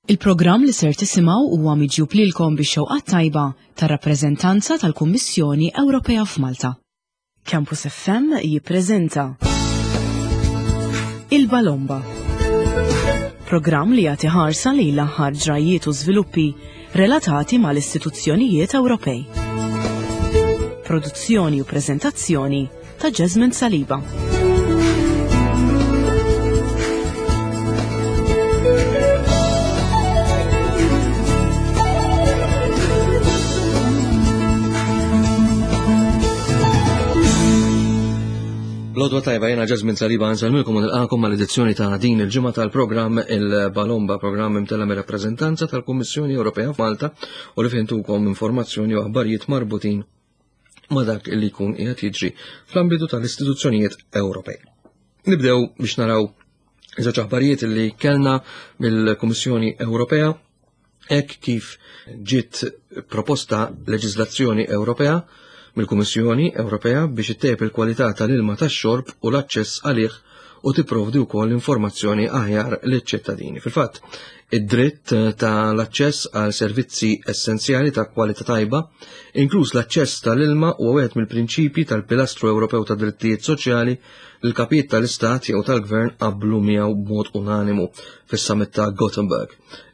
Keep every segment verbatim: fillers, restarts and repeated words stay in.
Il-programm li ser tisimgħu huwa miġjub lilkom bix-xewqa tajba tar-rappreżentanza tal-Kummissjoni Ewropea f'Malta. Campus F M jippreżenta Il-Balomba. Programm li jagħti ħarsa lejn l-aħħar ġrajiet u żviluppi relatati mal-istituzzjonijiet Ewropej. Produzzjoni u preżentazzjoni ta' Jasmine Saliba. L-għodwa t-tajba, jiena Jasmine Saliba, nsellmilkom u nilqagħkom mal-edizzjoni ta' din il-ġimgħa tal-programm Il-Balomba, programm imtella' mir-rappreżentanza tal-Kummissjoni Ewropea f'Malta u li fih intukom informazzjoni u aħbarijiet marbutin ma' dak li jkun qiegħed jiġri fl-ambitu tal-istituzzjonijiet Ewropej. Nibdew biex naraw żewġ aħbarijiet li kellna mill-Kummissjoni Ewropea hekk kif ġiet proposta leġiżlazzjoni Ewropea mill-Kummissjoni Ewropea biex ittejjeb il-kwalità tal-ilma tax-xorb u l-aċċess għalih u tipprovdi wkoll informazzjoni aħjar liċ-ċittadini. Fil-fatt, id-dritt tal-aċċess għal servizzi essenzjali ta' kwalità tajba, inkluż l-aċċess tal-ilma, huwa wieħed mill-prinċipji tal-Pilastru Ewropew ta' Drittijiet Soċjali li l-kapijiet tal-Istat jew tal-Gvern qablu miegħu b'mod unanimu fis-summit ta' Gothenburg.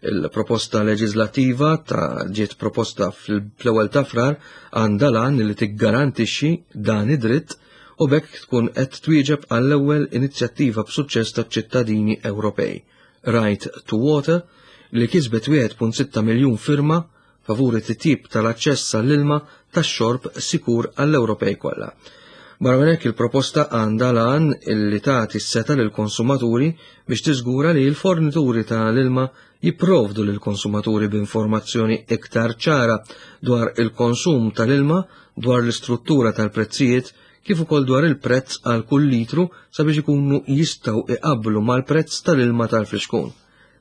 Il-proposta leġislattiva ta' ġiet proposta fl-ewwel ta' Frar għandha l-għan li tiggarantixxi dan id-dritt u b'hekk tkun qed twieġeb għall-ewwel inizjattiva b'suċċess taċ-ċittadini Ewropej, Right to Water, li kisbet wieħed punt sitta miljun firma favur it-titjib tal-aċċess għall-ilma tax-xorb sikur għall-Ewropej kollha. Barra minn hekk, il-proposta għandha l-għan illi tagħti s-setgħa lill-konsumaturi biex tiżgura li l-fornituri tal-ilma jipprovdu lill-konsumaturi b'informazzjoni iktar ċara dwar il-konsum tal-ilma, dwar l-istruttura tal-prezzijiet, kif ukoll dwar il-prezz għal kull litru sabiex ikunu jistgħu iqablu mal-prezz tal-ilma tal-flixkun.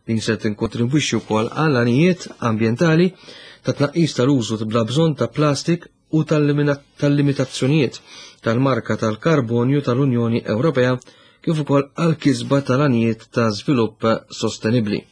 Din se tinkontribwixxi wkoll għal għanijiet ambjentali ta' tnaqqis tal-użu bla bżonn ta' plastik u tal-limitazzjonijiet tal-marka tal-karbonju tal-Unjoni Ewropea, kif ukoll għal kisba tal-għanijiet ta' żvilupp sostenibbli.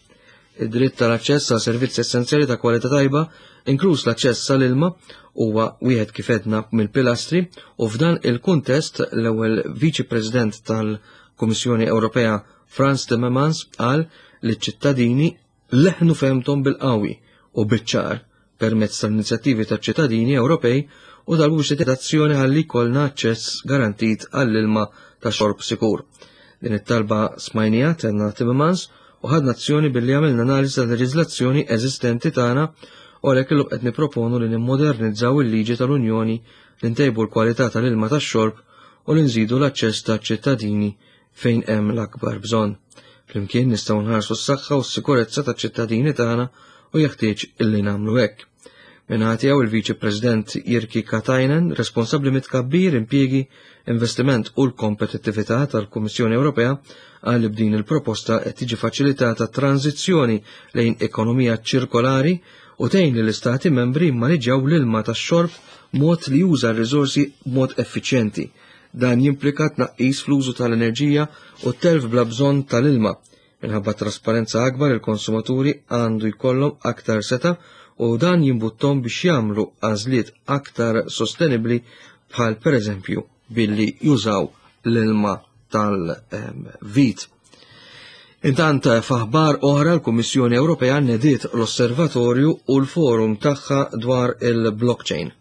Id-dritt tal-aċċess għal servizzi essenzjali ta' kwalità tajba, inkluż l-aċċess għall-ilma, huwa wieħed, kif għedna, mill-pilastri u f'dan il-kuntest l-ewwel Viċi President tal-Kummissjoni Ewropea Frans Timmermans qal li ċ-ċittadini leħnu fehmthom bil-qawwi u biċ-ċar permezz tal-inizjattivi taċ-ċittadini Ewropej u talbu biex azzjoni ħalli jkollna aċċess garantit għall-ilma ta' xorb sikur. "Din it-talba smajnieha," tenna Timmermans, "u ħadna azzjoni billi għamilna analiżi tal-leġiżlazzjoni eżistenti tagħna u għalhekk illum qed nipproponu li nimmodernizzaw il-liġi tal-Unjoni, li ntejbu l-kwalità tal-ilma tax-xorb u li nżidu l-aċċess taċ-ċittadini fejn hemm l-akbar bżonn. Flimkien nistgħu nħarsu s-saħħa u s-sikurezza taċ-ċittadini tagħna u jeħtieġ illi nagħmlu hekk." Min-naħa tiegħu, il-Viċi President Jyrki Katainen, responsabbli mit-tkabbir, impjiegi, investiment u l-kompetittività tal-Kummissjoni Ewropea, qal li b'din il-proposta qed tiġi faċilitata tranzizzjoni lejn ekonomija ċirkolari u tgħin li l-istati membri jimmaniġġjaw l-ilma tax-xorb mod li juża r-riżorsi b'mod effiċjenti. Dan jimplika tnaqqis fl-użu tal-enerġija u telf bla bżonn tal-ilma. Minħabba trasparenza akbar, il-konsumaturi għandu jkollhom aktar setgħa u dan jimbuttom biex jagħmlu għażliet aktar sostenibli, bħal pereżempju billi jużaw l-ilma tal-vit. Intant, f'aħbar oħra, l-Kummissjoni Ewropea nediet l-Osservatorju u l-Forum tagħha dwar il-blockchain.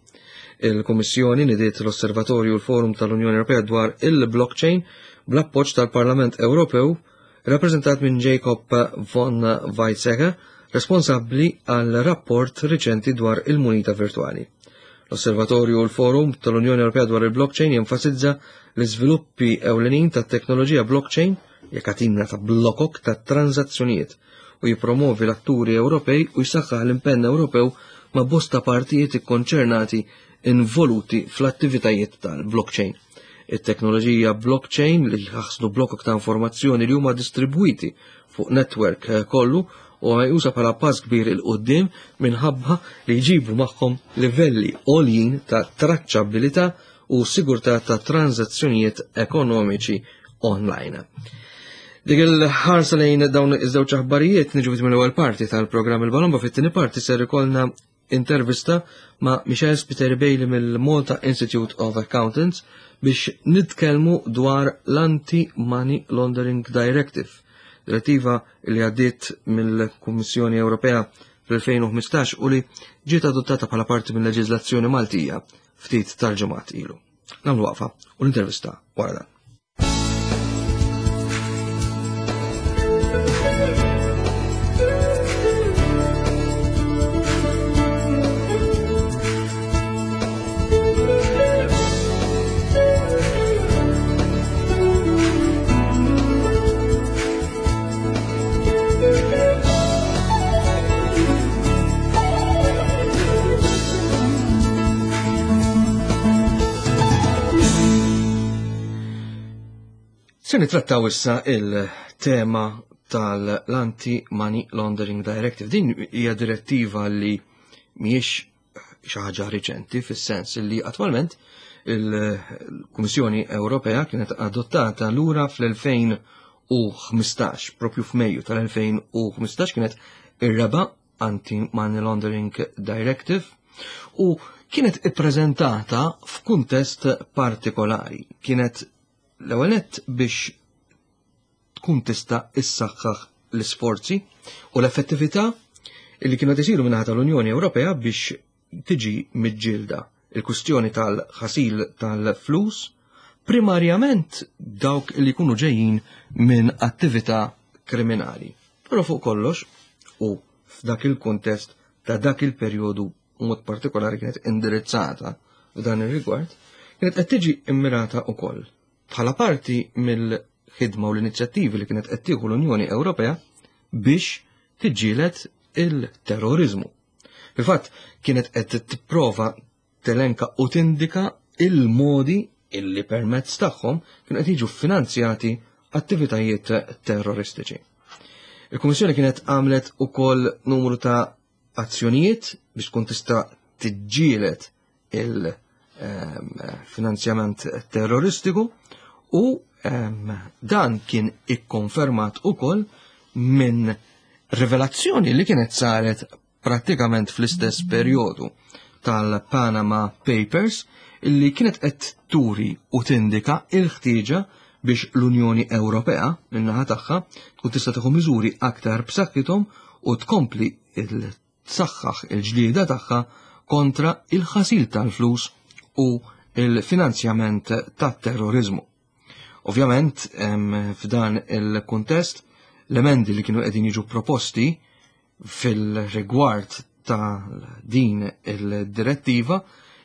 Il-Kummissjoni nediet l-Osservatorju u l-Forum tal-Unjoni Ewropea dwar il-blockchain bl-appoġġ tal-Parlament Ewropew, rappreżentat minn Jacob von Weizsäcker, responsabbli għal rapport riċenti dwar il-munita virtuali. L-Osservatorju u l-Forum tal-Unjoni Ewropea dwar il-blockchain jenfasizza l-iżviluppi ewlenin tat-teknoloġija blockchain, katina ta' blokok ta' tranzazzjonijiet, u jipromovi l-atturi Ewropej u jsaħħaħ l-impenn Ewropew ma' bosta partijiet ikkonċernati involuti fl-attivitajiet tal-blockchain. It-teknoloġija blockchain, li jaħżnu blokok ta' informazzjoni li huma distribwiti fuq network kollu, u juża bħala pass kbir 'il quddiem minħabba li jġibu magħhom livelli għoljin ta' traċċabilità u sigurtà ta' tranzazzjonijiet ekonomiċi online. Dik il-ħarsa lejn dawn iż-żewġ aħbarijiet niġu mill-ewwel parti tal-programm il-Balomba. Fit-tieni parti ser ikollna intervista ma' Michelle Spiteri Bailey mill-Malta Institute of Accountants biex nitkellmu dwar l-Anti-Money Laundering Directive, direttiva li għaddiet mill-Kummissjoni Ewropea fl-elfejn u ħmistax u li ġiet adottata bħala parti mill-leġiżlazzjoni Maltija ftit tal-ġimgħat ilu. Nagħmlu waqfa u l-intervista wara dan. Se nitrattaw issa il-tema tal-Anti-Money Laundering Directive. Din hija direttiva li mhijiex xi ħaġa riċenti fis-sens li attwalment il-Kummissjoni Ewropea kienet adottata lura fl-elfejn u ħmistax, propju f'Mejju tal-elfejn u ħmistax kienet ir-raba' Anti-Money Laundering Directive u kienet ippreżentata f'kuntest partikolari. Kienet l-ewwel nett biex tkun tista' issaħħaħ l-isforzi u l-effettività li kienu qed isiru min-naħa tal-Unjoni Ewropea biex tiġi miġġielda il-kwistjoni tal-ħasil tal-flus, primarjament dawk li jkunu ġejjin minn attività kriminali. Però fuq kollox, u f'dak il-kuntest ta' dak il-perjodu mod partikolari kienet indirizzata f'dan ir-rigward, kienet qed tiġi immirata wkoll bħala parti mill-ħidma u l-inizjattivi li kienet qed tieħu l-Unjoni Ewropea biex tiġġieled il-terrorizmu. Fil-fatt kienet qed tipprova telenka u tindika il-modi illi permezz tagħhom kienu qed jiġu finanzjati attivitajiet terroristiċi. Il-Kummissjoni kienet għamlet ukoll numru ta' azzjonijiet biex tkun tista' tiġġieled il-finanzjament terroristiku u dan kien ikkonfermat ukoll minn rivelazzjoni li kienet saret prattikament fl-istess perjodu tal-Panama Papers illi kienet qed turi u tindika il-ħtieġa biex l-Unjoni Ewropea min-naħa tagħha tkun tista' tieħu miżuri aktar b'saħħithom u tkompli tsaħħaħ il-ġlieda tagħha kontra il-ħasil tal-flus u il-finanzjament tat-terrorizmu. Ovvjament, f'dan il-kuntest, l-emendi li kienu qegħdin jiġu proposti fil-rigward ta' din il-direttiva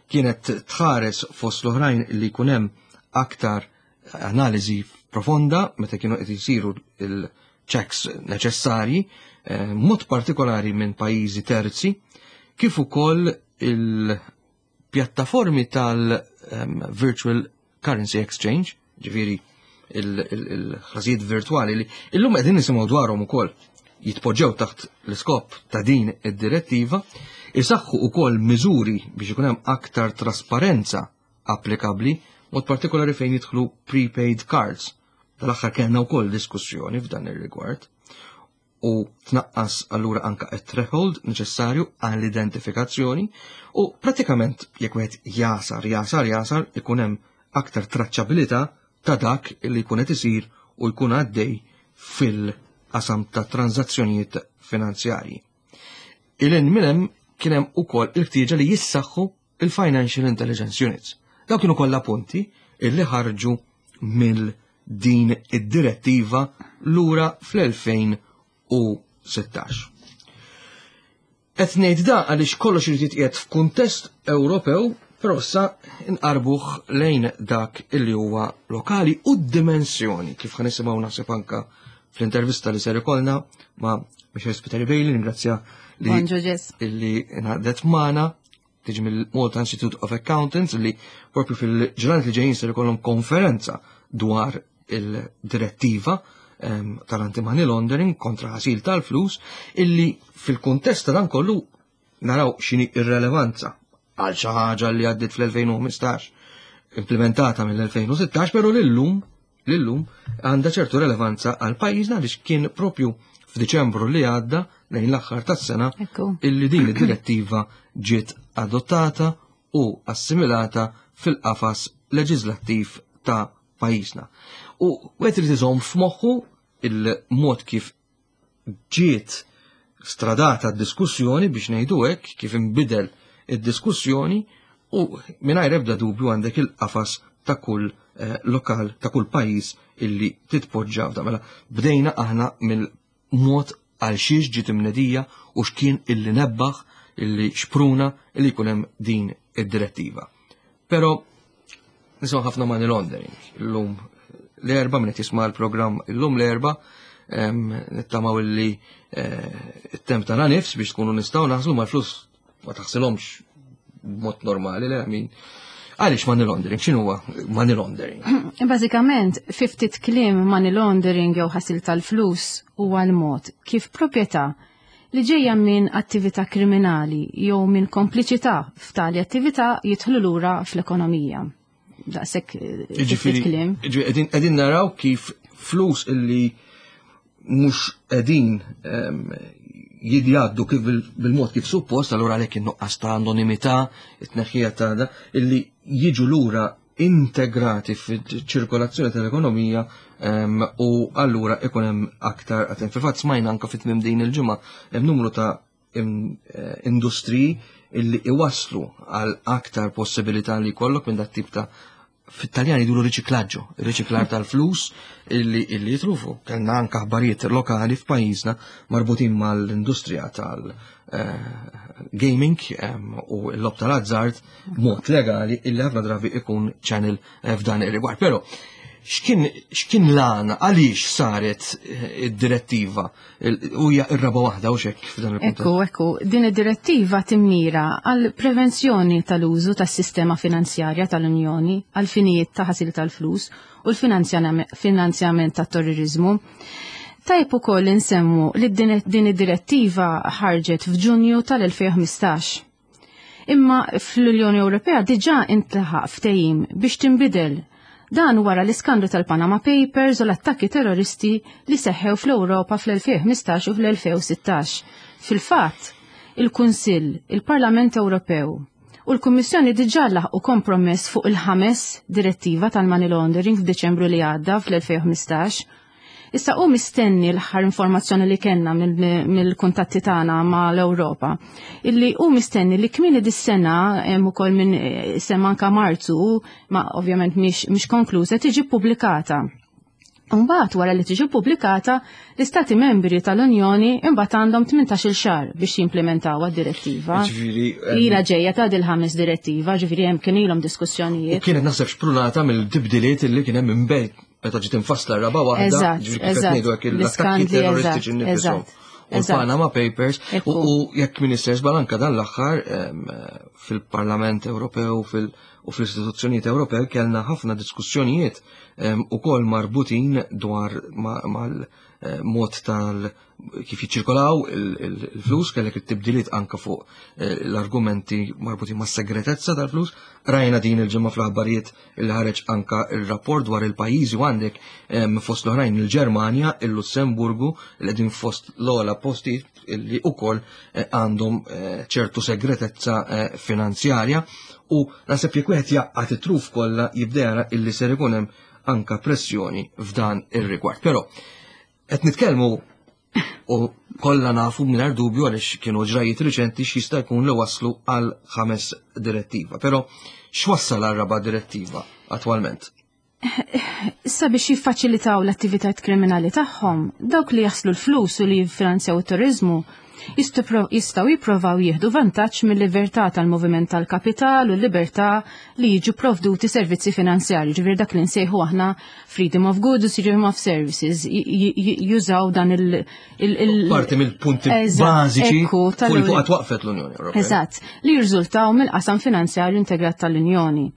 kienet tħares fost l-oħrajn li jkun hemm aktar analiżi profonda meta kienu qed isiru il-checks neċessarji, mod partikolari minn pajjiżi terzi, kif ukoll il-pjattaformi tal-Virtual Currency Exchange, ġifieri il-ħlasijiet virtuali li illum qegħdin nisimgħu dwarhom ukoll jitpoġġew taħt l-iskop ta' din id-direttiva, isaħħu ukoll miżuri biex ikun hemm aktar trasparenza applikabbli, mod partikolari fejn jidħlu prepaid cards. Tal-aħħar kellna wkoll diskussjoni f'dan ir-rigward u tnaqqas allura anka it-threshold neċessarju għall-identifikazzjoni u pratikament jekk wieħed jasar, jasar, jasar ikun hemm aktar traċċabilità ta' dak li jkun qed isir u jkun għaddej fil-qasam ta' tranzazzjonijiet finanzjarji. Ilin minn hemm kien hemm ukoll il-ħtieġa li jissaħħu il-Financial Intelligence Units. Dawk kienu kollha punti illi ħarġu mill din id-direttiva lura fl-elfejn u sittax. Qed ngħid da għaliex kollox irid jitqiegħed f'kuntest Ewropew, però issa nqarbuh lejn dak illi huwa lokali u d-dimensjoni kif ħa nisimgħu naħseb anka fl-intervista li ser ikollna ma' Michelle Spiteri Bailey, ringrazzja li Bonġu, Ġes. illi ngħaqdet magħna, tiġi mill-Malta Institute of Accountants, li propju fil-ġranet li ġejjin ser ikollhom konferenza dwar il-direttiva, ehm, tal-anti-money laundering kontra ħasil tal-flus, illi fil-kuntest ta' dan kollu naraw x'inhi ir-relevanza għal xi ħaġa li għaddiet fl-elfejn u ħmistax, implementata mill-elfejn u sittax, però lillum Lillum għandha ċertu relevanza għal pajjiżna għaliex kien propju f'Diċembru li għadda lejn l-aħħar tas-sena illi din id-direttiva ġiet adottata u assimilata fil-qafas leġislattiv ta' pajjiżna. U wieħed irid iżomm f'moħħu il-mod kif ġiet stradata d-diskussjoni biex ngħidu hekk, kif inbidel id-diskussjoni u mingħajr ebda dubju għandek il-qafas ta' kull eh, lokal, ta' kull pajjiż illi titpoġġa f'da. Mela bdejna aħna mill-mod għal xiex ġiet imnedija u x'kien illi nebbaħ, illi xpruna illi jkun hemm din id-direttiva. Però nisimgħu ħafna money laundering. Illum l-Erbgħa min qed jisma' l-programm illum l-Erbgħa nittamaw illi eh, it-temp ta' nifs biex tkunu nistgħu naħslu mal-flus ma taħsilhomx b'mod normali, le min. Għaliex money laundering? X'inhu huwa money laundering? Bażikament, fi ftit kliem money laundering jew ħasil tal-flus huwa l-mod kif proprjetà li ġejja minn attività kriminali jew minn kompliċità f'tali attività jidħlu lura fl-ekonomija. Daqshekk eh, fi ftit kliem. Ġifieri qegħdin naraw kif flus illi mhux qegħdin jidjaddu kif bil-mod kif suppost, allura għalhekk in-nuqqas ta' anonimità, it-tneħħija ta' da, illi jiġu lura integrati fil-ċirkolazzjoni tal-ekonomija u allura ikun hemm aktar għatem. Fil-fatt smajna anka fit-tmiem din il-ġimgħa hemm numru ta' eh, industriji illi iwaslu għal aktar possibilità li jkollok minn dat tip ta' fit-Taljan jgħidulu riċiklaġġo, riċiklar tal-flus illi illi jitrufu. Kellna anka aħbarijiet lokali f'pajjiżna marbutin mal-industrija tal-gaming u l-logħob tal-azzard mod legali illi ħafna drabi ikun channel eh, f'dan ir-rigward. Però x'kien x'kien l-għana għaliex saret eh, id-direttiva u hija r-raba' waħda u xek f'dan il-punt. Ekku, ekku, din id-direttiva timmira għal prevenzjoni tal-użu tas-sistema finanzjarja tal-Unjoni għal finijiet ta' ħasil tal-flus u l-finanzjament tat-terrorizmu. Tajb ukoll insemmu li din din id-direttiva ħarġet f'Ġunju tal-elfejn u ħmistax. Imma fl-Unjoni Ewropea diġà intlaħaq ftehim biex tinbidel dan wara l-iskandlu tal-Panama Papers u l-attakki terroristi li seħħew fl-Ewropa fl-elfejn u ħmistax u fl-elfejn u sittax. Fil-fatt, il-Kunsill, il-Parlament Ewropew u l-Kummissjoni diġà laħqu kompromess fuq il-ħames direttiva tal-money laundering f'Deċembru li għadda fl-elfejn u ħmistax. Issa u mistenni l-aħħar informazzjoni li kellna mill-kuntatti tagħna ma' l-Ewropa, illi u mistenni li kmieni dis-sena hemm ukoll minn eh, semma anka Marzu, ma ovvjament mhix mhix konkluża, tiġi pubblikata. Mbagħad wara li tiġi pubblikata, l-Istati membri tal-Unjoni imbagħad għandhom tmintax-il xahar biex jimplementaw għad-direttiva. Ġifieri, em, Ila ġejja ta' dil-ħames direttiva, ġifieri hemm kien ilhom U diskussjonijiet. kienet naħseb xprunata mill-tibdiliet illi kien hemm minn meta ġiet infassla r-raba' waħda, Eżatt, ġifieri kif qed eżatt. ngħidu hekk l-attakki L-iskandli, terroristiċi eżatt, nnifisom. eżatt, U eżatt. l-Panama Papers u Ekku. u jekk Minister Balanka dan l-aħħar em, fil-Parlament Ewropew fil- u fl-istituzzjonijiet Ewropew kellna ħafna diskussjonijiet em, ukoll marbutin dwar mal-mod tal kif jiċċirkolaw il- il- il-flus, kellek it-tibdiliet anka fuq eh, l-argumenti marbutin ma' segretezza tal-flus. Rajna din il-ġimgħa fl-aħbarijiet il ħareġ anka il-rapport dwar il-pajjiżi u għandek em, fost l-oħrajn il-Ġermanja, il-Lussemburgu, li qegħdin fost l-ogħla postijiet li ukoll eh, għandhom eh, ċertu segretezza eh, finanzjarja u naħseb jekk wieħed jaqgħad it-truf kollha jibda jara illi ser ikun hemm anka pressjoni f'dan ir-rigward. Però qed nitkellmu u kollha nafu mingħajr dubju għaliex kienu ġrajiet riċenti x'jista' jkun li waslu għal ħames direttiva. Però x'wassal għal raba' direttiva attwalment? Issa biex jiffaċilitaw l-attivitajiet kriminali tagħhom, dawk li jaħslu l-flus u li jiffinanzjaw it-terrorizmu jistgħu jipprovaw jieħdu vantaġġ mill-libertà tal-moviment tal-kapital u l-libertà li jiġu provduti servizzi finanzjarji, ġifieri dak li nsejħu aħna freedom of goods u freedom of services, jużaw dan il- il- Parti mill-punti bażiċi fuq li fuq waqfet l-Unjoni Ewropea. Eżatt, li jirriżultaw mill-qasam finanzjarju integrat tal-Unjoni.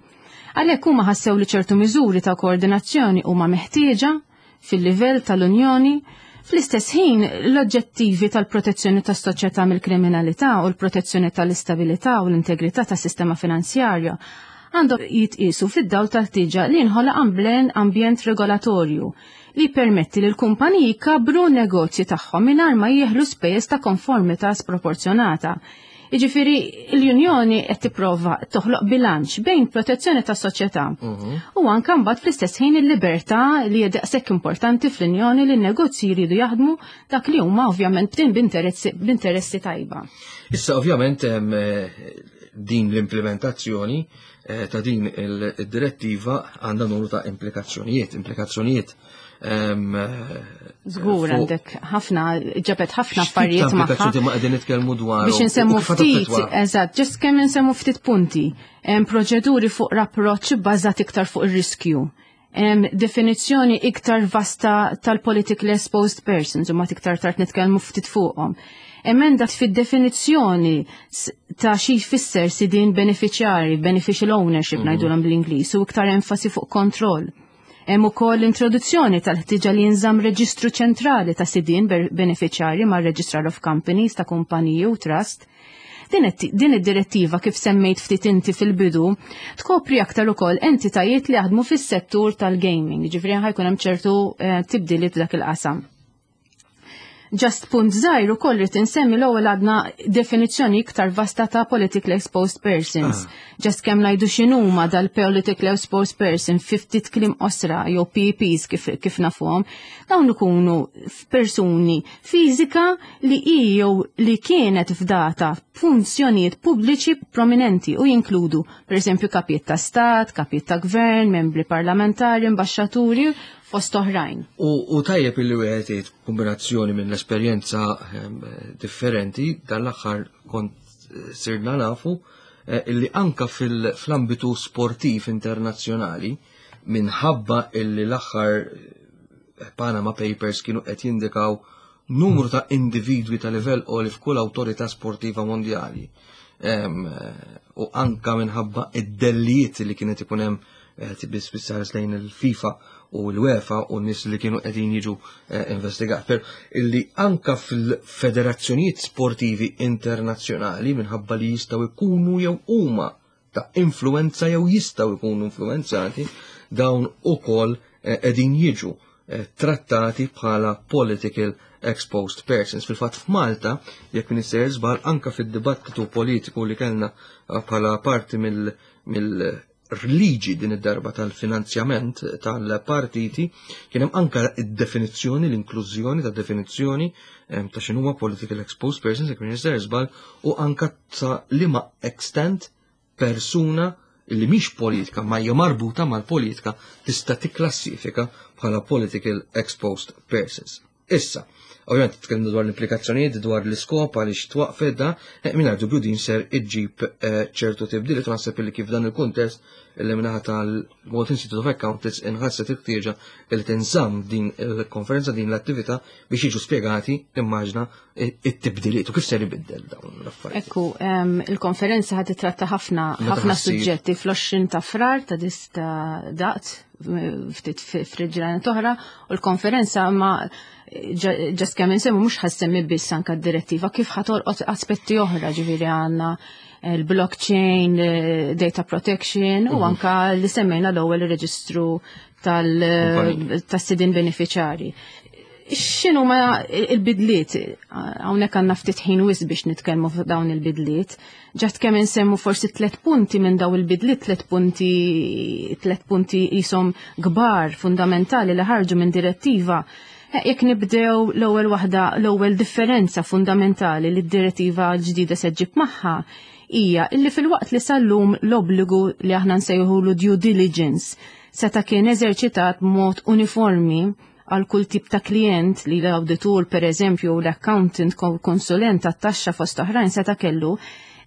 Għalhekk huma ħassew li ċertu miżuri ta' koordinazzjoni huma meħtieġa fil-livell tal-Unjoni. Fl-istess ħin, l-oġġettivi tal-protezzjoni tas-soċjetà mill-kriminalità u l-protezzjoni tal-istabilità u l-integrità tas-sistema finanzjarja għandhom jitqisu fid-dawl tal-ħtieġa li jinħoloq ambjent regolatorju li permetti li l-kumpaniji jkabbru negozji tagħhom mingħajr ma jeħlu spejjeż ta' konformità sproporzjonata. Jiġifieri l-Unjoni qed tipprova toħloq bilanċ bejn protezzjoni tas-soċjetà mhm. u anke mbagħad fl-istess ħin il-libertà li hija daqshekk importanti fl-Unjoni li n-negozji jridu jaħdmu dak li huma ovvjament b'interessi tajba. Issa ovvjament eh, din l-implementazzjoni eh, ta' din il-direttiva għandha numru ta' implikazzjonijiet, implikazzjonijiet Żgur għandek ħafna ġabet ħafna affarijiet magħha. Ma qegħdin nitkellmu dwar. Biex insemmu ftit, eżatt, just kemm insemmu ftit punti. Hemm proċeduri fuq l-approċċ bbażat iktar fuq ir-riskju. Definizzjoni iktar vasta tal-politically exposed persons, u ma iktar tard nitkellmu ftit fuqhom. Emenda fid-definizzjoni ta' xi jfisser sidin beneficjari, beneficial ownership mm -hmm. ngħidulhom bl-Ingliż, u iktar enfasi fuq kontroll. Hemm ukoll l-introduzzjoni tal-ħtiġa li jinżamm reġistru ċentrali ta' sidien beneficjari ma' Registrar of Companies ta' kumpaniji u trust. Din id-direttiva, kif semmejt ftit inti fil-bidu, tkopri aktar ukoll entitajiet li jaħdmu fis-settur tal-gaming, ġifieri ħa jkun hemm ċertu eh, tibdiliet f'dak il-qasam. Just punt żgħir ukoll rrid insemmi, l-ewwel għadna definizzjoni iktar vasta ta' politically exposed persons. Ah. Just kemm ngħidu x'inhuma dal-politically exposed person ftit kliem qosra, jew P E Ps kif, kif nafuhom. Dawn ikunu persuni fiżika li hi jew li kienet fdata funzjonijiet pubbliċi prominenti u jinkludu per eżempju kapijiet ta' stat, kapijiet ta' gvern, membri parlamentari, ambasċaturi, fost oħrajn. U, u tajjeb illi wieħed jgħid kombinazzjoni minn l-esperjenza ehm, differenti, dan l-aħħar kont eh, sirna nafu eh, illi anka fil-ambitu sportiv internazzjonali, minħabba illi l-aħħar eh, Panama Papers kienu qed jindikaw numru ta' individwi ta' livell għoli f'kull awtorità sportiva mondjali. Ehm, u anka minħabba id-dellijiet li kienet ikun hemm tibis lejn il-FIFA u l-UEFA u n-nies li kienu qegħdin jiġu eh, investigat. Per illi anka fil-federazzjonijiet sportivi internazzjonali, minħabba li jistgħu jkunu jew huma ta' influenza jew jistgħu jkunu influenzati, dawn ukoll eh, qegħdin jiġu eh, trattati bħala political exposed persons. Fil-fatt f'Malta, jekk m'iniex żball, anka fid-dibattitu politiku li kellna bħala parti mill, mill liġi din id-darba tal-finanzjament tal-partiti, kien hemm anka id-definizzjoni, l-inklużjoni ta' definizzjoni ta' x'inhuma political exposed persons, jekk m'iniex żball, u anka ta' liema extent persuna li mhix politika ma hija marbuta mal-politika tista' tikklassifika bħala political exposed persons. Issa, ovvjament tkellmu dwar l-implikazzjonijiet, dwar l-iskop għaliex twaqfet da, eh, mingħajr dubju din ser iġġib eh, ċertu tibdiliet, u naħseb li kif dan il-kuntest li min-naħa tal-Malta Institute of Accountants inħasset il-ħtieġa li tinżamm din il-konferenza, din l-attività, biex jiġu spjegati, immaġna, it-tibdiliet u kif ser ibiddel dawn l-affarijiet. Ekku, il-konferenza ħad titratta ħafna ħafna suġġetti fl-għoxrin ta' Frar ta' dista daqt ftit fil-ġranet oħra, u l-konferenza ma just kemm insemmu mhux ħa ssemmi biss anka d-direttiva, kif ħa tolqot aspetti oħra, ġifieri għandna il-blockchain, data protection u mhm. anka li semmejna l-ewwel, ir-reġistru tal-sidin beneficjari. X'inhu ma il-bidliet? Hawnhekk għandna ftit ħin wisq biex nitkellmu fuq dawn il-bidliet. Just kemm insemmu forsi tliet punti minn daw il-bidliet, tliet punti tliet punti jisom kbar fundamentali li ħarġu minn direttiva. Eh, jekk nibdew l-ewwel waħda, l-ewwel differenza fundamentali li d-direttiva l-ġdida se ġġib magħha hija illi filwaqt li sal-lum l-obbligu li aħna nsejħulu due diligence seta' kien eżerċitat b'mod uniformi għal kull tip ta' klient li l-auditur per eżempju u l-accountant, konsulent tat-taxxa fost oħrajn seta' kellu,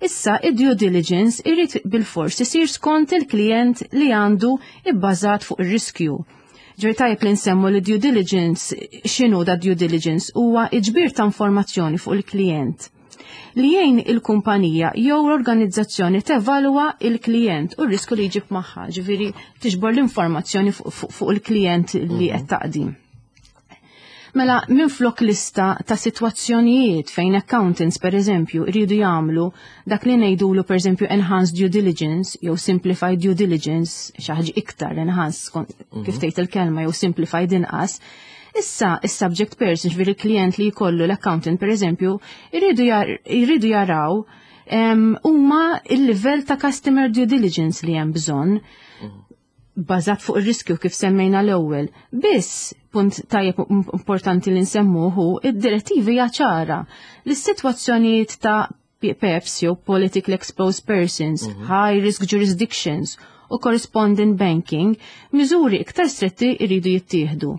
issa id-due diligence irid bil-fors isir skont il-klient li għandu, ibbażat fuq ir-riskju. Ġer tajjeb li nsemmu li due diligence, x'inhu da due diligence? Huwa ġbir ta' informazzjoni fuq il-klient li jgħin il-kumpanija jew l-organizzazzjoni tevalwa il-klient u r-riskju li jġib magħha, ġifieri tiġbor l-informazzjoni fuq il-klient li qed taqdi. Mela minflok lista ta' sitwazzjonijiet fejn accountants, per eżempju, iridu jagħmlu dak li ngħidulu, per eżempju, enhanced due diligence jew simplified due diligence, xi ħaġa iktar enhanced kif tgħid il-kelma jew simplified inqas. Issa, is-subject person, ġifieri il-klient li jkollu l-accountant, per eżempju, iridu jaraw huma il-livell ta' customer due diligence li hemm bżonn bażat fuq ir-riskju kif semmejna l-ewwel. Biss punt tajjeb importanti li nsemmuhu, id-direttivi hija ċara li s-sitwazzjonijiet ta' PEPs jew politically exposed persons, mhm. high risk jurisdictions u correspondent banking, miżuri iktar stretti jridu jittieħdu.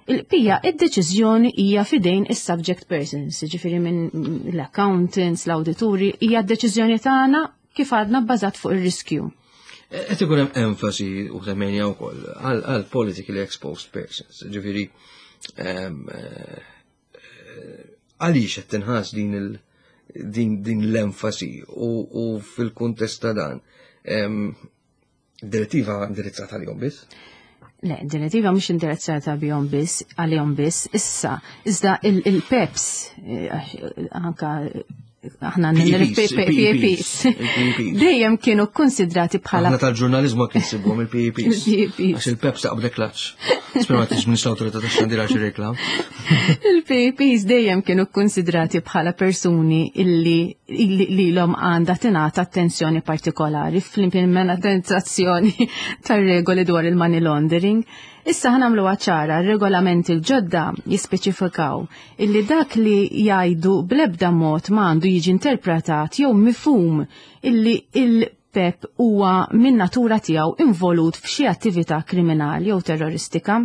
Il-pija, id-deċiżjoni hija fidejn is-subject persons, ġifieri minn l-accountants, l-awdituri, hija d-deċiżjoni tagħna kif għadna bbażat fuq ir-riskju. Qed ikun hemm enfasi u semmejna wkoll għal politically exposed persons, ġifieri eh, għaliex qed tinħass din il din, din l-enfasi u fil-kuntest ta' dan direttiva indirizzata għalihom biss? Le, direttiva mhux indirizzata bihom biss, għalihom biss, issa, iżda il-PEPs, eh, anka aħna P E Ps. Dejjem kienu konsidrati bħala. Aħna tal-ġurnalizmu kien sibhom il-P E Ps. Għax il-PEPs taqbdek klaċ. Spera ma tiġ l-awtorità tax-xandir għax reklam. Il-P E Ps dejjem kienu konsidrati bħala persuni illi li l-om għandha tingħata attenzjoni partikolari fl-implementazzjoni tar-regoli dwar il-money laundering. Issa ħa nagħmlu ċara, regolamenti l-ġodda jispeċifikaw illi dak li jgħidu blebda mod ma għandu jiġi interpretat jew mifhum illi il-PEP huwa min natura tiegħu involut f'xi attività kriminali jew terroristika.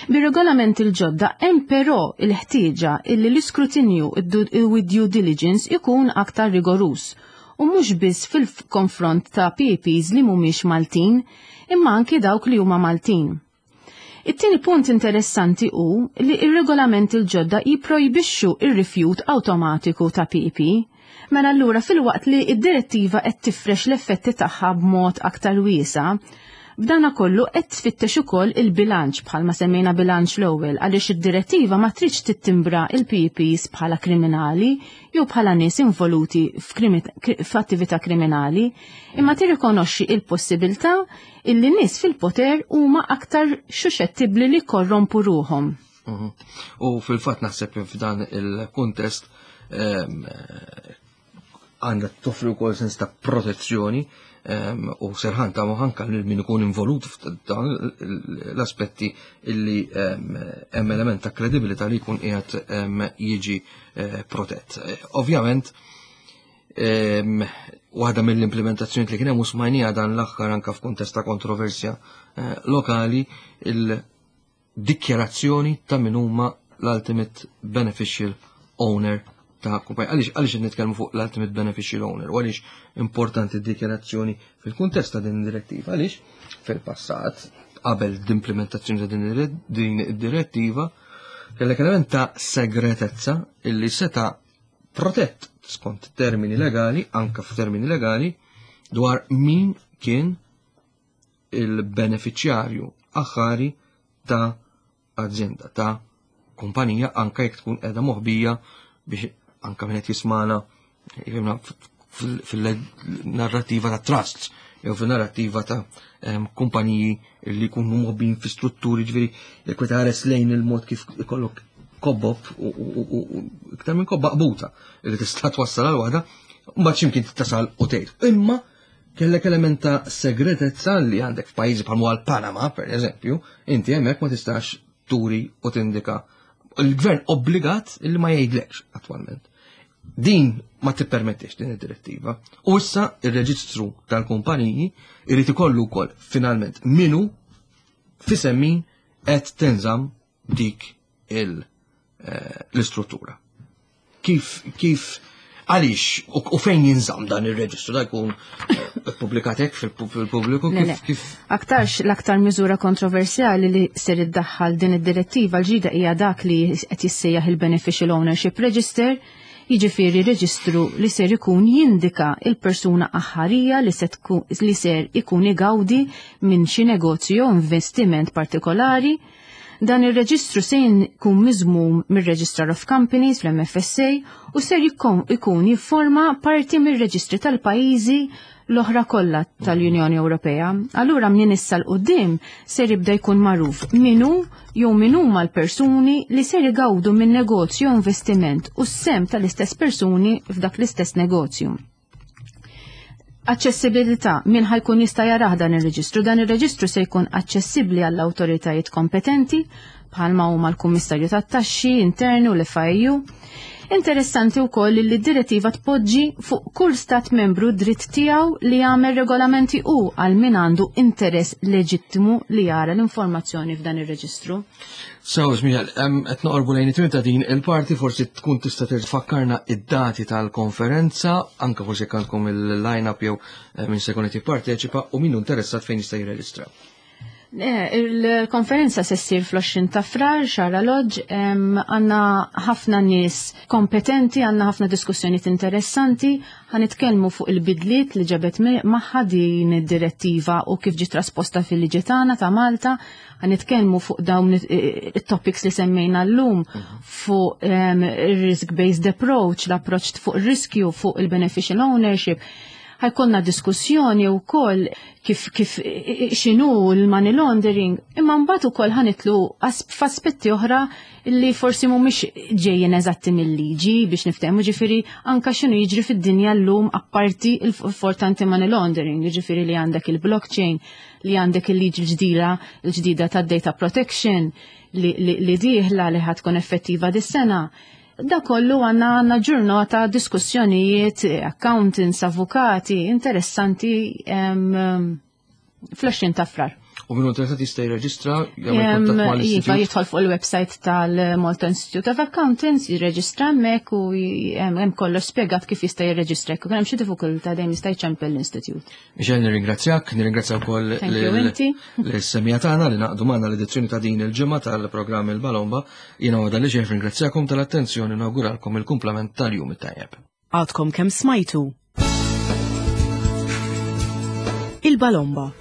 Bir-regolament il-ġodda hemm però il-ħtieġa illi l-iskrutinju u due diligence ikun aktar rigorus u mhux biss fil-konfront ta' P E Ps li mhumiex Maltin, imma anki dawk li huma Maltin. It-tieni punt interessanti hu li ir-regolament il-ġodda jipprojbixxu ir-rifjut awtomatiku ta' P E P. Mela allura, filwaqt li id-direttiva qed tifrex l-effetti tagħha b'mod aktar wiesa', b'dana kollu qed tfittex ukoll il-bilanċ, bħalma semmejna bilanċ l-ewwel, għaliex id-direttiva ma tridx tittimbra il-P E Ps bħala kriminali jew bħala nies involuti f'attività kriminali, imma tirrikonoxxi il-possibilità illi nies fil-poter huma aktar suscettibbli li korrompu ruhom. Mhm. U fil-fatt naħseb f'dan il-kuntest ehm, għandha toffri wkoll sens ta' protezzjoni ehm, u serħan ta' anka lil min ikun involut f'dan l-aspetti illi ehm, hemm element ta' kredibilità li jkun qiegħed jiġi eh, protett. Eh, ovvjament, waħda mill-implementazzjoni li kien hemm u smajnija dan l-aħħar anka f'kuntest ta' kontroversja eh, lokali, il-dikjarazzjoni ta' min huma l-ultimate beneficial owner ta' kumpanija. Għaliex għaliex qed nitkellmu fuq l-ultimate beneficial owner u għaliex importanti d-dikjarazzjoni fil-kuntest ta' din id-direttiva? Għaliex fil-passat, qabel l-implementazzjoni ta' din id-direttiva, kellek element ta' segretezza illi seta' protett skont termini legali, anka f'termini legali, dwar min kien il-beneficjarju aħħari ta' azienda, ta' kumpanija, anka jekk tkun qiegħda moħbija, biex anka min qed jismana jifhimna fil-narrativa ta' trusts jew fil-narrativa ta' kumpaniji li jkunu moħbin fi strutturi, ġifieri jekk tħares lejn il-mod kif ikollok kobba u iktar minn kobba qbuta li tista' twassal għal waħda, mbagħad x'imkien tasal u tgħid. Imma kellek element ta' segretezza li għandek f'pajjiżi bħal għal Panama, per eżempju, inti hemmhekk ma tistax turi u tindika. Il-gvern obbligat illi ma jgħidlekx attwalment. Din ma tippermettix din id-direttiva. U issa ir-reġistru tal-kumpaniji irid ikollu wkoll finalment minu f'isem min qed tinżamm dik eh, l-istruttura. Kif kif għaliex u fejn jinżamm dan ir-reġistru, da jkun eh, pubblikat hekk fil-pubbliku, kif kif? Aktarx l-aktar miżura kontroversjali li ser iddaħħal din id-direttiva l-ġdida hija dak li qed jissejjaħ il-Beneficial Ownership Register, jiġifieri reġistru li ser ikun jindika il-persuna aħħarija li, li ser ikun igawdi minn xi negozju jew investiment partikolari. Dan ir-reġistru se jkun miżmum mir-Registrar of Companies fl-M F S A u ser ikun jifforma parti mir-reġistri tal-pajjiżi l-oħra kollha tal-Unjoni Ewropea. Allura minn issa 'l quddiem ser jibda jkun magħruf min hu jew min huma l-persuni li ser igawdu minn negozju investiment u s-sehem tal-istess persuni f'dak l-istess negozju. Aċċessibilità: min ħa jkun jista' jarah dan ir-reġistru? Dan ir-reġistru se jkun aċċessibbli għall-awtoritajiet kompetenti bħalma huma l-Kummissarju tat-Taxxi Interni u l-F I U. Interessanti wkoll li d-direttiva tpoġġi fuq kull stat membru dritt tiegħu li jagħmel regolamenti u għal min għandu interess leġittimu li jara l-informazzjoni f'dan ir-reġistru. So, Michel, qed noqorbu lejn it ta' din il-parti, forsi tkun tista' tfakkarna id-dati tal-konferenza, anke forsi għandkom il-line-up jew eh, min se jkun qed jipparteċipa u min interessat fejn jista' jirreġistra. Il-konferenza se ssir fl-għoxrin ta' Frar, Xagħra Lodge, għandna ħafna nies kompetenti, għandna ħafna diskussjonijiet interessanti, ħa nitkellmu fuq il-bidliet li ġabet magħha din id-direttiva u kif ġiet trasposta fil-liġi tagħna ta' Malta, ħa nitkellmu fuq dawn it-topics li semmejna llum, fuq risk-based approach, l-approach fuq riskju, fuq il-beneficial ownership. Ħa jkollna diskussjoni wkoll kif kif x'inhu l-money laundering, imma mbagħad ukoll ħa nidħlu f'aspetti oħra li forsi mhumiex ġejjin eżatti mill-liġi biex niftehmu, ġifieri anka x'inhu jiġri fid-dinja llum apparti il-fort anti-money laundering, ġifieri li għandek il-blockchain, li għandek il-liġi l-ġdida l-ġdida tad-data protection li, li, li dieħla li ħa tkun effettiva dis-sena. Da kollu għandna għandna ġurnata diskussjonijiet, accountants, avukati, interessanti fl-għoxrin ta' Frar. U min interessat jista' jirreġistra? Iva, jidħol fuq il-website tal-Malta Institute of Accountants, jirreġistra hemmhekk u hemm kollox spjegat kif jista' jirreġistra. Jekk hemm xi diffikultà dejjem jista' jċempel l-Institute. Michelle, nirringrazzjak, nirringrazzja wkoll lis-semmiegħa tagħna li ngħaqdu magħna l-edizzjoni ta' din il-ġimgħa tal-programm Il-Balomba. Jiena għada li ġej ringrazzjakom tal-attenzjoni u nawguralkom il-kumplament tal-jum it-tajjeb. Għadkom kemm smajtu Il-Balomba.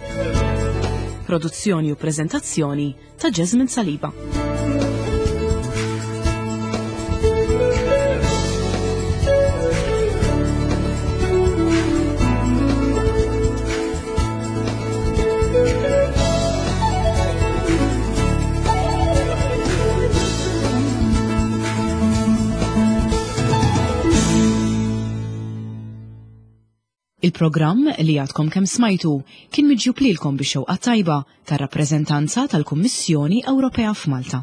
Produzzjoni u prezentazzjoni ta' Jasmine Saliba. Il-programm li għadkom kemm smajtu kien miġjub lilkom bix-xewqa tajba tar-rappreżentanza tal-Kummissjoni Ewropea f'Malta.